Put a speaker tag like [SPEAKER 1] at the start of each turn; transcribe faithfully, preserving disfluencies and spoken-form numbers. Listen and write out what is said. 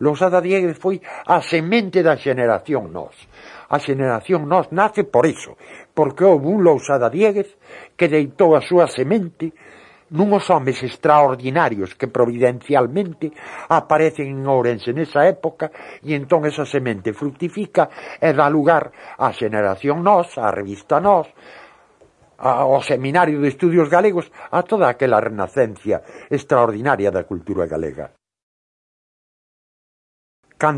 [SPEAKER 1] Lousada Diéguez foi a semente da xeración Nós. A xeración Nós nace por iso, porque houve un Lousada Diéguez que deitou a súa semente nuns homes extraordinarios que providencialmente aparecen en Ourense nesa época, e entón esa semente fructifica e dá lugar á xeración Nós, á revista Nós, ao Seminario de Estudios Galegos, a toda aquela renacencia extraordinaria da cultura galega.